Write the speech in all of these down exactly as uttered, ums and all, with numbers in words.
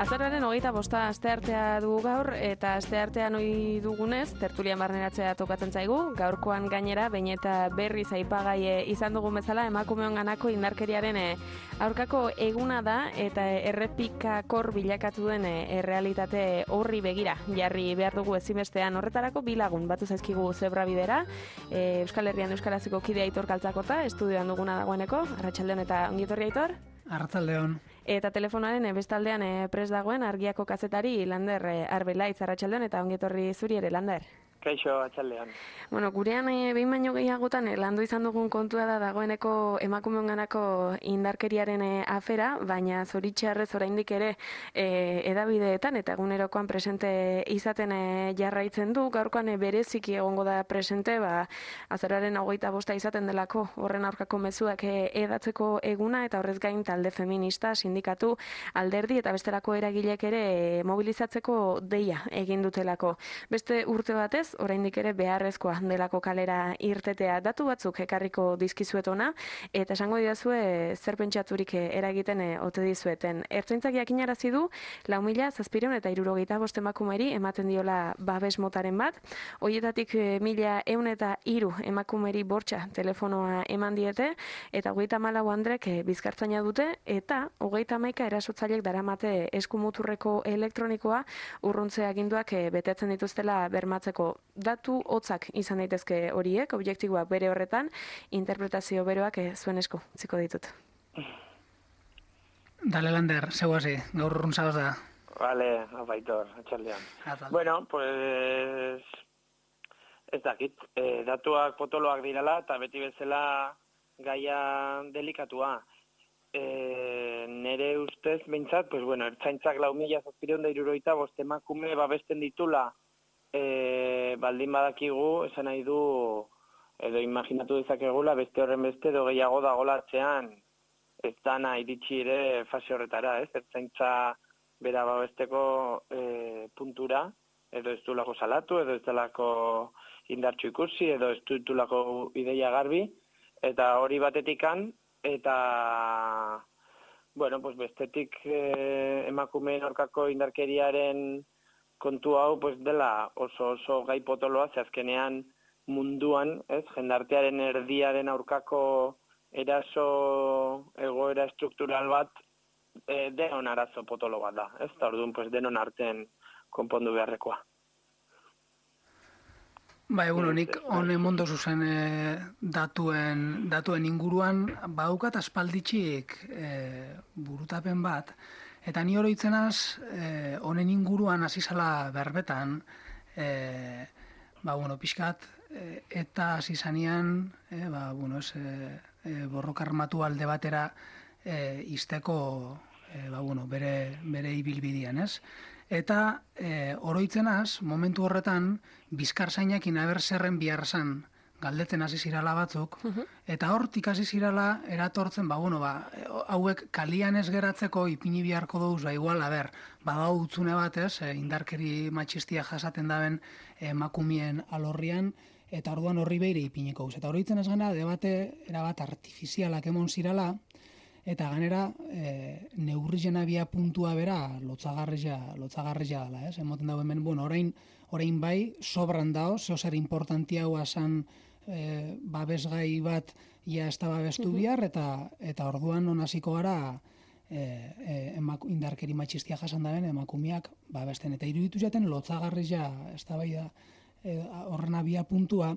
Azaroaren hogeita bosta asteartea dugu gaur, eta asteartean ohi dugunez, tertulian barneratzea tokatzen zaigu. Gaurkoan gainera, behin eta berriz aipagai izan dugun bezala, emakumeon ganako indarkeriaren aurkako eguna da, eta errepikakor bilakatu den errealitate horri begira jarri behar dugu ezinbestean. Horretarako bi lagun batu zaizkigu zebra bidera, Euskal Herrian Euskaraziko kide Aitor Kaltzakota, estudioan duguna dagoeneko. Arratsaldeon eta ongi etorri, Aitor. Arratsaldeon. Eta telefonoaren bestaldean prest dagoen Argiako kazetari Lander Arbelaitz. Arratsaldeon eta ongi etorri zuri ere, Lander. Kaixo, atxaldean. Bueno, gurean e, behin baino gehiagotan e, landu izan dugun kontua da dagoeneko emakumeonganako indarkeriaren e, afera, baina zoritxarrez oraindik ere e, edabideetan eta egunerokoan presente izaten e, jarraitzen du. Gaurkoan e, bereziki egongo da presente, ba, azararen hogeita bosta izaten delako horren aurkako mezuak e, edatzeko eguna, eta horrez gain talde feminista, sindikatu, alderdi eta bestelako eragilek ere e, mobilizatzeko deia egin dutelako. Beste urte batez, oraindik ere beharrezkoa delako kalera irtetea. Datu batzuk ekarriko dizkizuet ona, eta esango didazue zer pentsaturik eragiten ote dizueten. Ertzaintzak jakinarazi du lau mila zazpiehun eta hirurogeita bost emakumeri ematen diola babes motaren bat. Horietatik mila ehun eta hiru emakumeri bortxa telefonoa eman diete, eta hogeita hamalau andrek bizkartzaina dute, eta hogeita hamaika erasotzailek daramate eskumuturreko elektronikoa urruntze aginduak betetzen dituztela bermatzeko. Datu hotzak izan daitezke horiek, objektiboak bere horretan, interpretazio beroak zuen esku utziko ditut. Dale, Lander, zeu hasi, gaur urrun zaoz da. Vale, apaitor, atxaldean. Bueno, pues, ez dakit, eh, datuak potoloak dirala, eta beti bezala gaia delikatua. Eh, nere ustez, behintzat, pues bueno, ertzaintzak lau mila zazpiehun eta hirurogeita bost emakume babesten ditula, E, baldin badakigu, esan nahi du, edo imaginatu dezakegula, beste horren beste, edo gehiago dagola atzean, ez dana iritsi ere fase horretara, ez? Ertzaintza bera babesteko e, puntura, edo ez dulako salatu, edo ez dulako indartxu ikusi, edo ez dulako ideia garbi, eta hori batetikan, eta, bueno, pues bestetik e, emakumeen aurkako indarkeriaren kontu hau pues dela oso oso gai potoloa, ze azkenean munduan, ez, jendartearen erdiaren aurkako eraso egoera estruktural bat e, denon arazo potolo bat da, ez, eta orduan pues denon artean konpondu beharrekoa. Ba, egun honik, honen mondo zuzen e, datuen, datuen inguruan, baukat aspalditxik e, burutapen bat, eta ni oroitzenaz, honen e, inguruan hasizala berbetan, e, ba, bueno, pixkat, e, eta hasizanean, e, ba, bueno, ez, e, e, borroka armatu alde batera e, izteko, e, ba, bueno, bere, bere ibilbidean, ez? Eta e, oroitzenaz, momentu horretan, bizkarzainekin abertzerren biharzan galdetzen hasi zirala batzuk, eta hortik hasi zirala eratortzen, ba, bueno, ba, hauek kalian ez geratzeko ipini beharko duz, ba, igual, a ber, badau utzune batez, e, indarkeri matxistia jasaten daben emakumien alorrian, eta orduan horri beire ipiniko duz. Eta oroitzen ez gana, debate erabat artifizialak emon zirala, eta ganera, e, neurrizen abia puntua bera lotzagarria, lotzagarria dela, ez? Emoten dago hemen, bueno, orain, orain bai, sobran dao, zeo zer importantia hua zan e, babesgai bat ia ez da babestu bihar, eta, eta orduan onaziko gara e, e, emak, indarkeri matxistia jasan daben emakumiak babesten. Eta iruditu jaten lotzagarria, ez da bai da, e, horren abia puntua,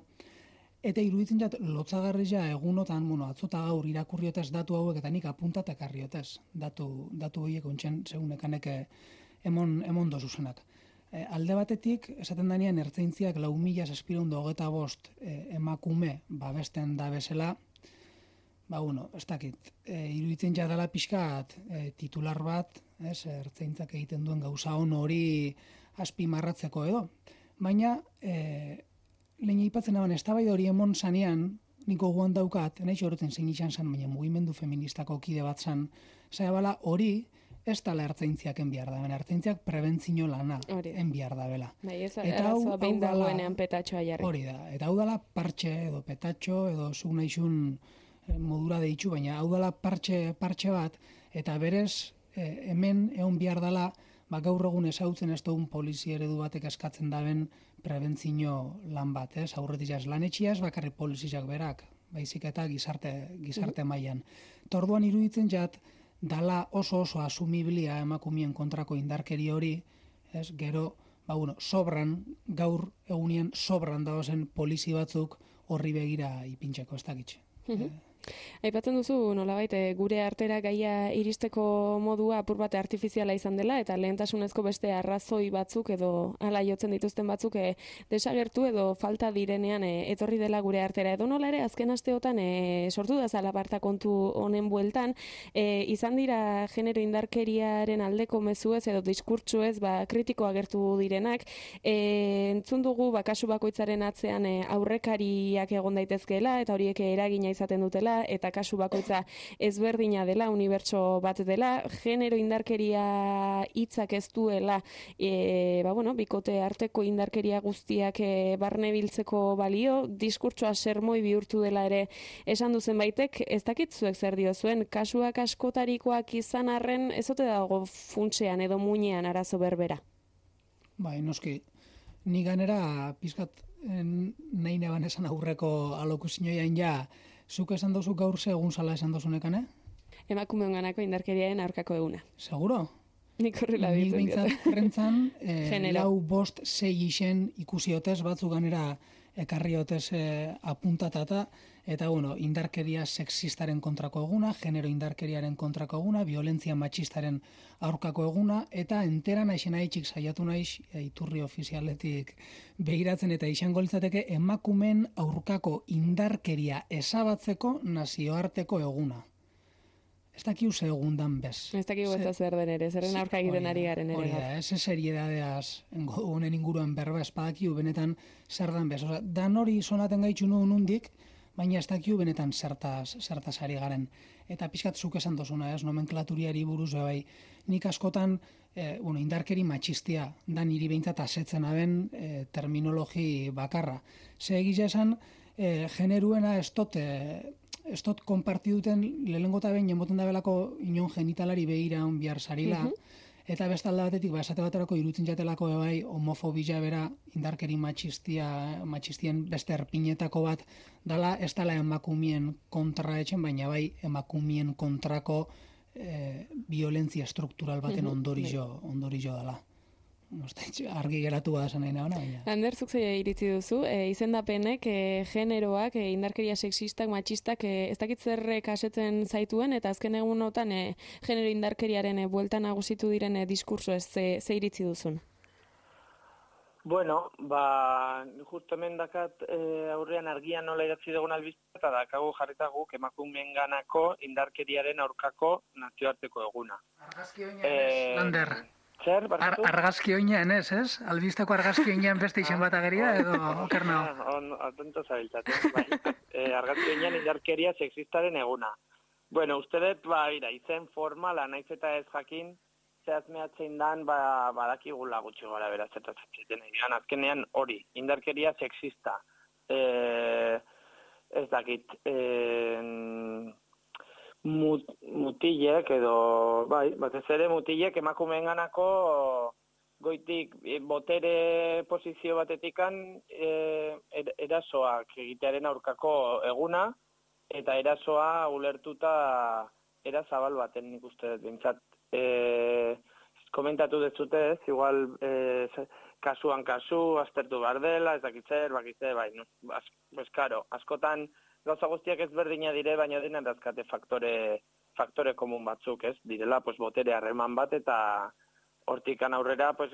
eta iruditzen jat, lotzagarria egunotan, bueno, atzota gaur irakurriotez datu hauek, eta nik apuntatak arriotez, datu, datu horiek ontsen segunekanek emon, emon dozuzenak. E, alde batetik, esaten danean, ertzaintziak lau mila zazpiehun eta hogeita bost e, emakume babesten da bezala, ba, bueno, ez dakit, e, iruditzen jatala pixkat e, titular bat, ez, ertzaintzak egiten duen gauza on hori azpimarratzeko edo. Baina, e, lehen aipatzen dagoen, eztabaida hori emon zanean, niko guan daukat, nahi horretzen zein izan zen, baina mugimendu feministako kide bat zen, zaila bala hori, ez tala ertzaintziak enbiar da, ertzaintziak prebentzio lana enbiar da bela. Bai, ez arazoa behin dagoenean petatxoa jarri. Hori da, eta hau dala partxe edo petatxo edo zuk nahizun modura deitzu, baina hau dala partxe, partxe bat, eta berez hemen egon bihar dala, ba, gaur egun ezautzen ez dugun polizia eredu batek eskatzen daben prebentzio lan bat, ez? Aurretik jaz lan etxiaz, bakarrik poliziak berak, baizik eta gizarte, gizarte mailan. Torduan iruditzen jat, dala oso oso asumiblia emakumien kontrako indarkeri hori, ez? Gero, ba, bueno, sobran, gaur egunien sobran dagozen polizi batzuk horri begira ipintxeko, ez dakitxe. Aipatzen duzu, nolabait, gure artera gaia iristeko modua apur bate artifiziala izan dela, eta lehentasunezko beste arrazoi batzuk edo hala jotzen dituzten batzuk e, desagertu edo falta direnean e, etorri dela gure artera. Edo nola ere, azken asteotan e, sortu da zalaparta kontu honen bueltan, e, izan dira genero indarkeriaren aldeko mezuez edo diskurtsuez ba, kritiko agertu direnak, e, entzun dugu ba, kasu bakoitzaren atzean e, aurrekariak egon daitezkeela, eta horiek eragina izaten dutela, eta kasu bakoitza ezberdina dela, unibertso bat dela, genero indarkeria hitzak ez duela, e, ba, bueno, bikote arteko indarkeria guztiak e, barne biltzeko balio, diskurtsoa sermoi bihurtu dela ere esan duzen baitek, ez dakitzuek zer dio zuen, kasuak askotarikoak izan arren, ez ote dago funtsean edo muinean arazo berbera? Bai, noski, ni ganera pizkat nahi neban esan aurreko alokuzinioian ja, zuk esan dozu gaur ze egun zala esan dozunekan, eh? Emakumeon ganako indarkeriaren aurkako eguna. Seguro? Nik horrela ditzen. Nik bintzat rentzan, eh, lau bost zei isen ikusiotez, batzu ganera ekarriotez eh, apuntatata, eta bueno, indarkeria sexistaren kontrako eguna, genero indarkeriaren kontrako eguna, violentzia matxistaren aurkako eguna, eta entera naixen haitxik saiatu naiz, iturri ofizialetik begiratzen eta izango litzateke emakumen aurkako indarkeria ezabatzeko nazioarteko eguna. Ez dakiu ze egundan bez. Ez dakiu ez zer den ere, zerren aurka egiten ari garen ere. Hori da, ez seriedadeaz honen inguruan berba ez badakiu benetan zer dan bez. Osa, dan hori sonaten gaitxu nuen nundik, baina ez dakiu benetan zertaz, zertaz ari garen. Eta pixkat zuk esan dozuna, ez, nomenklaturiari buruz bai. Nik askotan, eh, bueno, indarkeri matxistia, da niri behintzat asetzen aben eh, terminologi bakarra. Ze egiza esan, eh, generuena ez dut, eh, ez dut konparti duten lehenengo eta behin jenboten da belako inon genitalari behira on bihar sarila, uh -huh. Eta bestalde batetik, ba, esate baterako irutzen jatelako bai homofobia bera, indarkeri matxistia, matxistien beste erpinetako bat, dala ez dala emakumien kontra etxen, baina bai emakumien kontrako eh, violentzia struktural baten ondorizo, ondorizo dala. Argi geratu da esan nahi nabana, baina. Ander, zuk zei iritzi duzu, e, izendapenek, e, generoak, e, indarkeria sexistak, matxistak, e, ez dakit zerrek asetzen zaituen, eta azken egunotan e, genero indarkeriaren e, bueltan nagusitu diren e, diskurso ez ze, ze iritzi duzun? Bueno, ba, justo hemen dakat e, aurrean argian nola idatzi dugun albizte, eta dakagu jarrita guk emakumeen ganako indarkeriaren aurkako nazioarteko eguna. Argazki oina ez, Lander. Zer, Ar argazki oinean ez, ez? Albisteko argazki oinean beste izen bat ageria edo oker nao? Atento zabiltzaten, bai. E, argazki oinean indarkeria sexistaren eguna. Bueno, uste dut, ba, ira, izen formala, naiz eta ez jakin, zehazmeatzen dan, ba, badakigula gutxi gara beraz, eta zatzen egin. Azkenean hori, indarkeria sexista. E, ez dakit, e, Mut, mutilek edo, bai, batez ere mutilek emakumeen ganako goitik botere posizio batetikan e, erasoak egitearen aurkako eguna eta erasoa ulertuta era zabal baten nik uste dut bintzat. E, komentatu dezute ez, igual e, kasuan kasu, aztertu behar dela, ez dakitzer, bakitzer, bai, no, az, pues, karo, askotan gauza guztiak ezberdina dire, baina dinen dazkate faktore, faktore komun batzuk, ez? Direla, pues, botere harreman bat, eta hortikan aurrera, pues,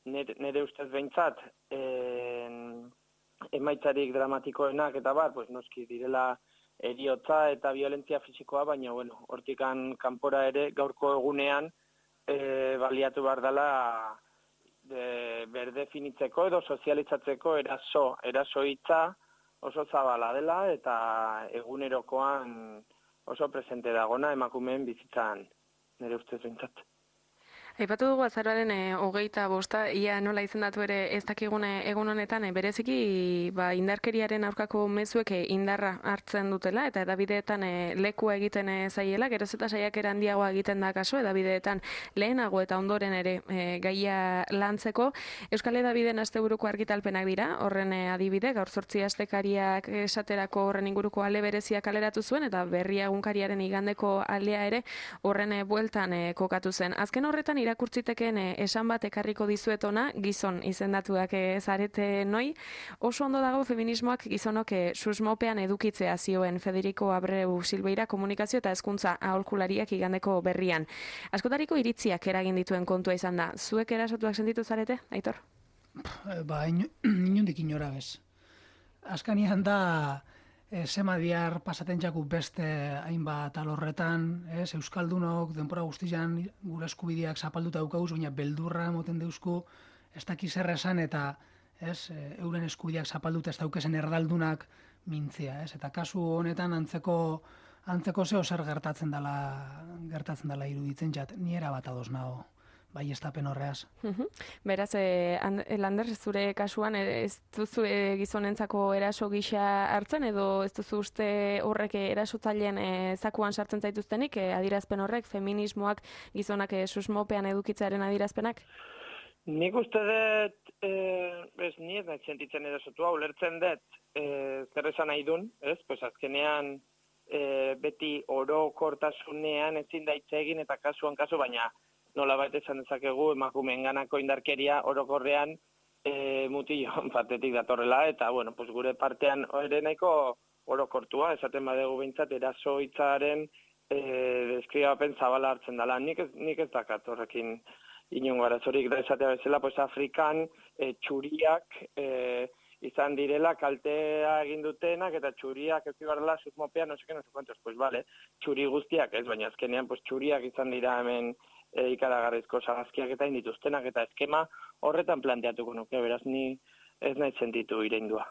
nire, nire ustez behintzat, en, emaitzarik dramatikoenak eta bar, pues, noski direla eriotza eta violentzia fisikoa, baina, bueno, hortikan kanpora ere gaurko egunean e, baliatu behar dela de, berdefinitzeko edo sozializatzeko eraso, eraso hitza, oso zabala dela eta egunerokoan oso presente dagona emakumeen bizitzan, nire ustez behintzat. Aipatu dugu azaroaren e, hogeita bosta, ia nola izendatu ere ez dakigune egun honetan, e, bereziki ba, indarkeriaren aurkako mezuek e, indarra hartzen dutela, eta edabideetan e, lekua egiten e, zaiela, geroz eta saiakera handiagoa egiten da kaso, edabideetan lehenago eta ondoren ere e, gaia lantzeko. Euskal Edabideen asteburuko argitalpenak dira, horren e, adibide, gaur zortzi astekariak esaterako horren inguruko ale bereziak kaleratu zuen, eta berria egunkariaren igandeko aldea ere horren e, bueltan e, kokatu zen. Azken horretan irakurtziteken esan bat ekarriko dizuet ona, gizon izendatuak zarete noi. Oso ondo dago feminismoak gizonok susmopean edukitzea zioen Federico Abreu Silveira komunikazio eta hezkuntza aholkulariak igandeko berrian. Askotariko iritziak eragin dituen kontua izan da. Zuek erasotuak sentitu zarete, Aitor? Ba, inundik inora bez. Azkanian da E, zema diar pasatentxaku beste hainbat alorretan, ez, Euskaldunok denpora guztian gure eskubideak zapalduta daukauz, baina beldurra moten deuzku, ez dakiz errezan eta ez, euren eskubideak zapalduta ez daukezen erdaldunak mintzia, ez, eta kasu honetan antzeko antzeko zeo zer gertatzen dela gertatzen dela iruditzen jat, ni era bat ados nago. Bai, estapen horreaz. Beraz, eh, Lander, zure kasuan ez duzu eh, gizonentzako eraso gisa hartzen, edo ez duzu uste horrek erasotzaileen eh, zakuan sartzen zaituztenik, eh, adirazpen horrek, feminismoak gizonak eh, susmopean edukitzaren adirazpenak? Nik uste dut, eh, ez ni ez nahi sentitzen erasotua, ulertzen dut eh, zer esan nahi dun, ez? Pues azkenean eh, beti orokortasunean ezin da hitz egin eta kasuan kasu, baina nola baita esan dezakegu emakumeen ganako indarkeria orokorrean e, mutillo batetik datorrela, eta bueno, pues gure partean ere nahiko orokortua, esaten badegu behintzat eraso hitzaren e, deskribapen zabala hartzen dela. Nik ez, nik ez dakat horrekin inongo arazorik da esatea bezala, pues Afrikan e, txuriak e, izan direla kaltea egin dutenak, eta txuriak ez zibarrela susmopean, no seke, no sekuentos, pues vale, txuri guztiak ez, baina azkenean pues txuriak izan dira hemen E, ikaragarrizko sagazkiak eta indituztenak eta eskema horretan planteatuko nuke, beraz ni ez nahi sentitu ireindua.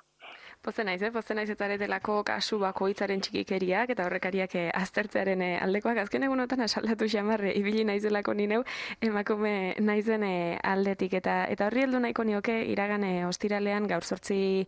Pozen naiz, eh? Pozen naiz eta aretelako kasu bakoitzaren txikikeriak eta horrekariak eh, aztertzearen eh, aldekoak. Azken egunotan asaldatu xamarre, ibili naizelako nineu, emakume naizen eh, aldetik. Eta eta horri heldu nahiko nioke iragan eh, ostiralean gaur zortzi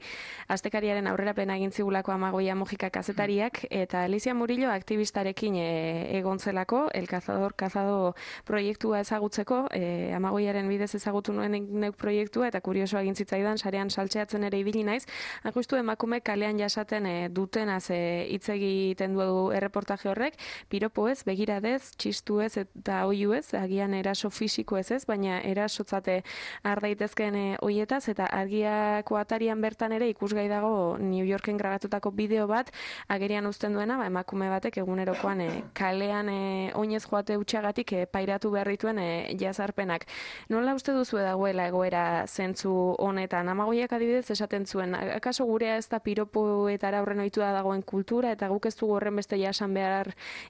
astekariaren aurrerapen egin zigulako Amagoia Mujika kazetariak, eta Alicia Murillo aktibistarekin eh, egon zelako, El Cazador Cazado proiektua ezagutzeko, eh, Amagoiaren bidez ezagutu nuen neuk proiektua, eta kurioso egin zitzaidan, sarean saltzeatzen ere ibili naiz. Justu emakume kalean jasaten e, dutenaz hitz egiten du erreportaje horrek, piropo ez, begiradez, txistu ez eta oihu ez, agian eraso fisiko ez ez, baina erasotzate har daitezkeen e, oietaz, eta argiako atarian bertan ere ikusgai dago New Yorken grabatutako bideo bat, agerian uzten duena, ba, emakume batek egunerokoan e, kalean e, oinez joate utxagatik e, pairatu behar dituen e, jazarpenak. Nola uste duzu dagoela egoera zentzu honetan? Amagoiak adibidez esaten zuen, akaso gurea ez da piropoetara horren ohitua dagoen kultura, eta guk ez dugu horren beste jasan behar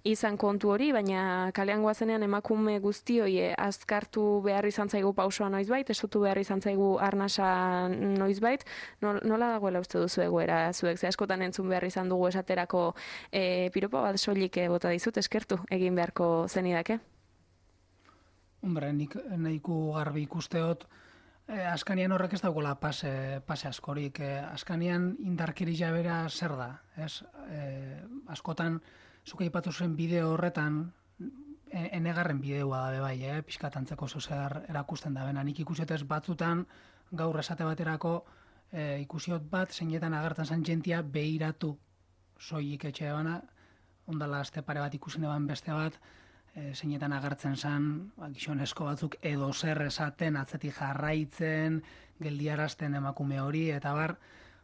izan kontu hori, baina kalean goazenean emakume guztioi azkartu behar izan zaigu pausoa noizbait, esutu behar izan zaigu arnasa noizbait, nola dagoela uste duzu egoera zuek, ze askotan entzun behar izan dugu esaterako e, piropo bat soilik bota dizut, eskertu egin beharko zenidake? Hombre, nik nahiko garbi ikusteot, Eh, Azkanian horrek ez dagoela pase, pase askorik. Eh, Azkanian indarkeri jabera zer da. Ez? Eh, askotan, zuke aipatu zuen bideo horretan, e, enegarren bideoa da bai, eh? Piskatantzeko zozer erakusten da. Bena, nik ikusiotez batzutan, gaur esate baterako, eh, ikusiot bat, zeinetan agertzen zen jentia behiratu soilik etxe bana, ondala aste pare bat ikusen eban beste bat, E, zeinetan agertzen zen, ba, gizonezko batzuk edo zer esaten, atzetik jarraitzen, geldiarazten emakume hori, eta bar,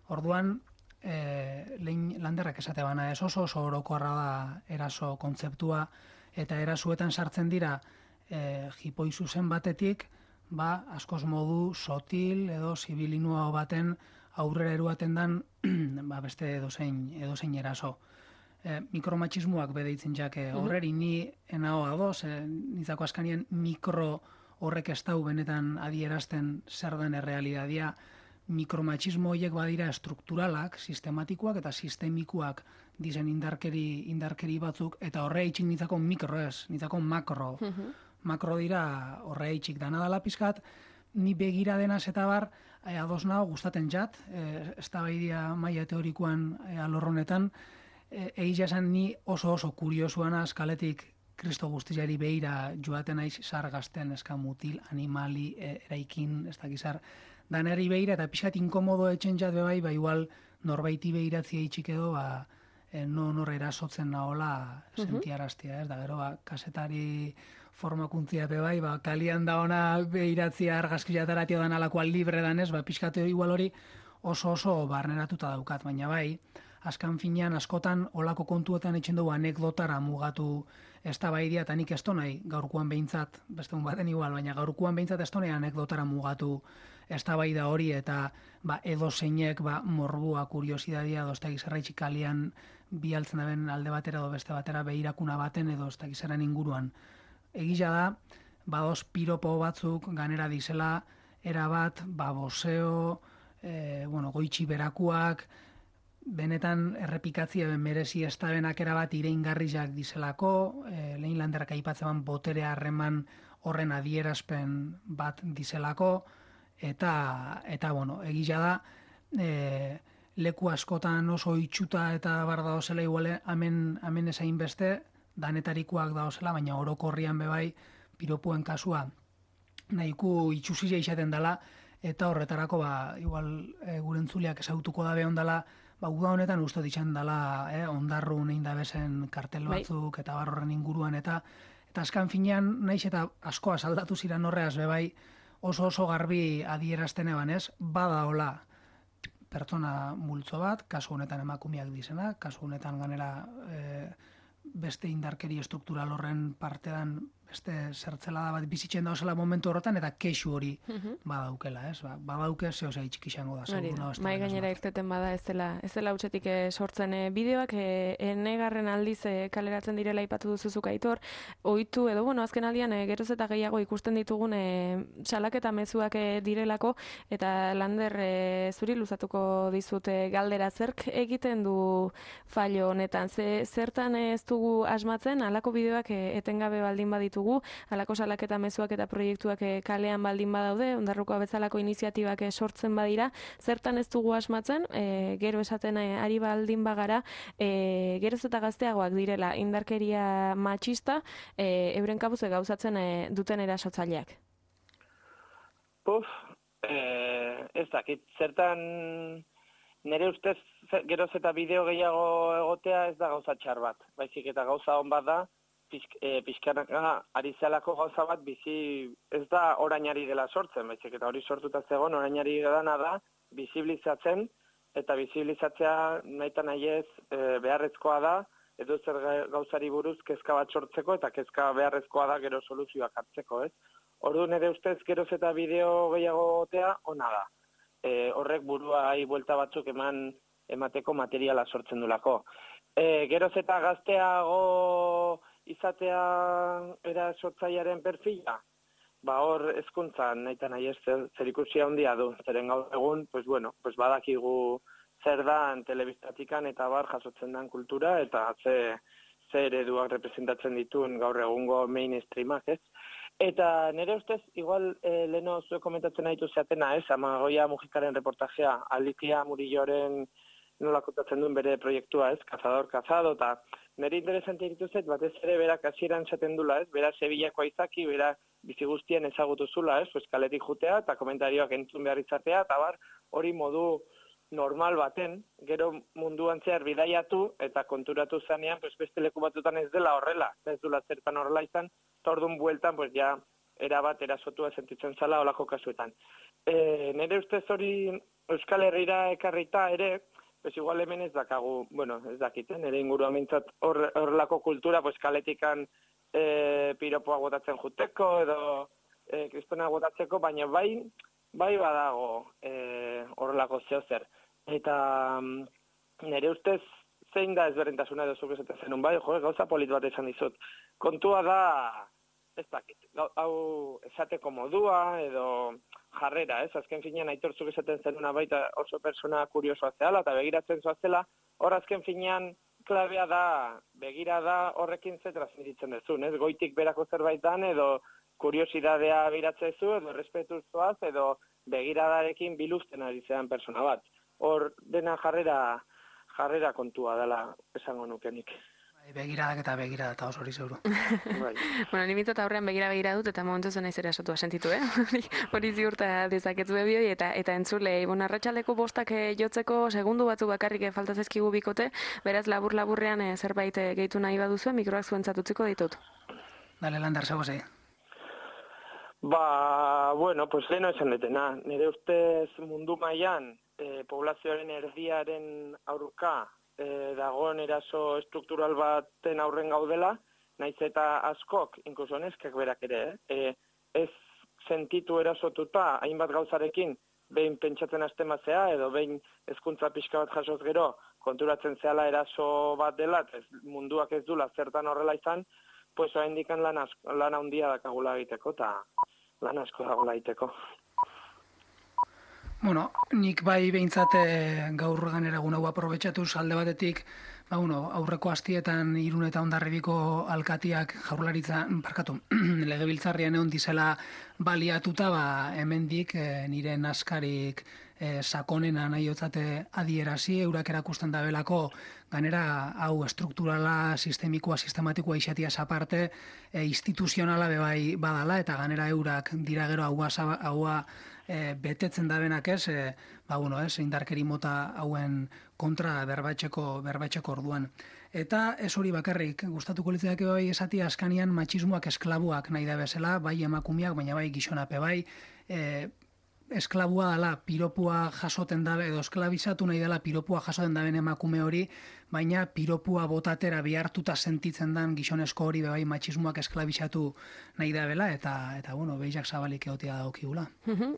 orduan, e, lehin Landerrak esate bana, ez oso oso orokorra da eraso kontzeptua, eta erasuetan sartzen dira e, jipoi zuzen batetik, ba, askoz modu sotil edo zibilinua baten aurrera eruaten dan, ba, beste edozein, edozein eraso. E, mikromatxismoak bedeitzen jake horreri, ni enao adoz, e, nizako askanian mikro horrek ez dau benetan adierazten zer den errealidadia, mikromatxismo horiek badira estrukturalak, sistematikoak eta sistemikoak dizen indarkeri, indarkeri batzuk, eta horre itxik nintzako mikro ez, nintzako makro. Uh-huh. Makro dira horre itxik dana dela pizkat, ni begira denaz eta bar, e, ados nago gustaten jat, e, ez da baidia maia teorikoan e, alorronetan, e, egia esan ni oso oso kuriosuan azkaletik Kristo guztiari behira joaten naiz sargazten, eska mutil, animali, e, eraikin, ez da gizar, danari behira, eta pixkat inkomodo etxen jat bebai, ba igual norbaiti behiratzia itxik edo, ba, e, no nor erasotzen nahola sentiaraztia, ez da, gero, ba, kasetari formakuntzia bebai, ba, kalian da ona behiratzia argazkiataratio dan alakoa libre danez, ba, pixkat igual hori oso oso barneratuta daukat, baina bai, azkan finean askotan olako kontuetan etxen dugu anekdotara mugatu eztabaidia, eta nik ez nahi gaurkoan behintzat, beste un baten igual, baina gaurkoan behintzat ez nahi anekdotara mugatu eztabaida hori, eta ba, edo zeinek ba, morbua, kuriosidadia, edo ez da gizarraitxik kalian bialtzen daben alde batera edo beste batera behirakuna baten edo ez da gizaren inguruan. Egila da, badoz piropo batzuk ganera dizela, erabat, ba, boseo, e, bueno, goitxi berakuak, benetan errepikatzia ben merezi ez da benak erabat ireingarriak dizelako, e, lehen landerak aipatzen botere harreman horren adierazpen bat dizelako, eta, eta bueno, egila da, e, leku askotan oso itxuta eta bar daozela iguale, amen, amen ezain beste, danetarikoak daozela, baina orokorrian bebai, piropuen kasua, nahiku itxusizia izaten dela, eta horretarako, ba, igual, e, gure entzuleak ezautuko dabe ondala, ba, uda honetan uste ditxan dela, eh, ondarru nein dabezen kartel batzuk, eta bar horren inguruan, eta eta azkan finean, naiz eta askoa saldatu ziren horreaz bebai, oso oso garbi adierazten eban ez, bada hola pertsona multzo bat, kasu honetan emakumeak dizena, kasu honetan ganera e, beste indarkeri estruktural horren partean beste zertzelada bat bizitzen dauzela momentu horretan, eta kexu hori badaukela, ez? Ba, badauke zeo zei txiki izango da. Hori da, mai gainera irteten bada ez dela, ez dela utxetik sortzen e, bideoak, e, enegarren aldiz e, kaleratzen direla ipatu duzuzuk Aitor, ohitu edo, bueno, azken aldian e, geroz eta gehiago ikusten ditugun e, salaketa mezuak e, direlako, eta Lander e, zuri luzatuko dizute galdera, zerk egiten du fallo honetan, ze, zertan ez dugu asmatzen, halako bideoak e, etengabe baldin baditugu, halako salaketa mezuak eta proiektuak e, kalean baldin badaude, ondarruko bezalako iniziatibak e, sortzen badira, zertan ez dugu asmatzen, e, gero esaten e, ari baldin bagara, e, geroz eta gazteagoak direla indarkeria matxista, e, euren kabuze gauzatzen e, duten erasotzaileak. Puf, e, ez dakit, zertan nire ustez geroz eta bideo gehiago egotea ez da gauza txar bat, baizik eta gauza hon bat da, pixkanaka ari zelako gauza bat bizi ez da orainari dela sortzen, baizik eta hori sortuta zegoen orainari dana da bizibilizatzen, eta bizibilizatzea nahita nahi ez e, beharrezkoa da, edo zer gauzari buruz kezka bat sortzeko, eta kezka beharrezkoa da gero soluzioak hartzeko, ez? Ordu nire ustez geroz eta bideo gehiago gotea ona da. E, horrek buruai buelta batzuk eman emateko materiala sortzen dulako. E, geroz eta gazteago izatea era sortzailearen perfila, ba hor hezkuntzan nahita nahi ez zer ikusia handia du, zeren gaur egun, pues bueno, pues badakigu zer dan telebistatikan eta bar jasotzen den kultura, eta ze, ze ereduak representatzen dituen gaur egungo mainstreamak, ez? Eta nire ustez, igual eh, leheno zuek komentatzen nahitu zeatena, ez? Amagoia Mujikaren reportajea, Alikia Murilloren nola kontatzen duen bere proiektua, ez? Cazador, cazado, eta nire interesante dituzet, batez ere berak hasieran esaten dula, ez? Bera Sevillakoa izaki, bera bizi guztien ezagutu zula, ez? Pues kaletik jutea eta komentarioak entzun behar izatea, eta bar, hori modu normal baten, gero munduan zehar bidaiatu eta konturatu zanean, pues beste leku batutan ez dela horrela, ez dula zertan horrela izan, tordun bueltan, pues ja, erabat erasotua sentitzen zala olako kasuetan. E, nire ustez hori Euskal Herrira ekarrita ere, pues igual hemen ez dakagu, bueno, ez dakiten, nire inguruan mintzat horrelako kultura, pues kaletikan e, piropoa gotatzen juteko, edo e, kristona gotatzeko, baina bai, bai badago e, horrelako zehozer. Eta nire ustez zein da ezberdintasuna edo zuk esaten zenun, bai, jo, gauza polit bat esan dizut. Kontua da ez dakit, hau esateko modua edo jarrera, ez? Azken finean Aitortzuk esaten zenuna baita oso persona kuriosoa zehala eta begiratzen zoazela, hor azken finean klabea da, begira da horrekin ze transmititzen dezun, ez? Goitik berako zerbait dan edo kuriosidadea biratzezu edo errespetuzoaz edo begiradarekin biluzten ari zean persona bat. Hor dena jarrera jarrera kontua dela esango nukenik. Begiradak eta begirada eta oso hori zeuru. Bueno, ni mitot aurrean begira begira dut eta momentu zen aizera esatua sentitu, eh? Hori ziurta dezaketzu ebioi eta eta entzule, bon, arratsaldeko bostak jotzeko segundu batzu bakarrik falta zaizkigu bikote, beraz labur-laburrean zerbait gehitu nahi baduzue, mikroak zuentzat utziko ditut. Dale, Lander, zego zei. Ba, bueno, pues leheno esan detena. Nire ustez mundu mailan eh, poblazioaren erdiaren aurka eh, dagoen eraso estruktural baten aurren gaudela, naiz eta askok, inkluso neskak berak ere, eh, ez sentitu erasotuta hainbat gauzarekin behin pentsatzen hasten bazea, edo behin hezkuntza pixka bat jasoz gero konturatzen zehala eraso bat dela, ez, munduak ez dula zertan horrela izan, pues orain dikan lan, lan handia dakagula egiteko, eta lan asko dagoela egiteko. Bueno, nik bai behintzat gaur ganera egun hau aprobetxatuz alde batetik, ba, bueno, aurreko astietan Irun eta Hondarribiko alkatiak jaurlaritza, parkatu, legebiltzarrian egon dizela baliatuta, ba, hemendik e, nire naskarik e, sakonena nahi otzate adierazi, eurak erakusten da belako, ganera hau estrukturala, sistemikoa, sistematikoa isatiaz aparte, e, instituzionala bebai badala, eta ganera eurak dira gero haua, haua e, betetzen da benak ez, e, ba, bueno, ez, indarkeri mota hauen kontra berbatxeko, berbatxeko orduan. Eta ez hori bakarrik, gustatuko litzaidak bai esati askanian matxismoak esklabuak nahi da bezala, bai emakumeak, baina bai gizonape bai, e, esklabua dela piropua jasoten dabe, edo esklabizatu nahi dela piropua jasoten daben emakume hori, baina piropua botatera bihartuta sentitzen dan gizonezko hori bai matxismoak esklabizatu nahi da bela, eta, eta bueno, behiak zabalik egotia daukigula.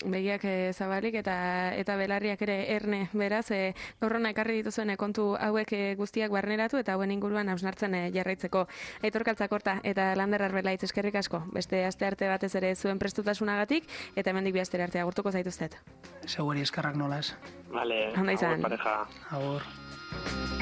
Begiak zabalik eta eta belarriak ere erne, beraz, e, gaurrona ekarri dituzuen kontu hauek guztiak barneratu eta hauen inguruan hausnartzen e, jarraitzeko. Aitor Kaltzakorta eta Lander Arbelaitz, eskerrik asko, beste aste arte batez ere zuen prestutasunagatik, eta hemendik bi astera arte agurtuko zaituztet. Seguri eskarrak nola ez. Vale, agur pareja. Agur.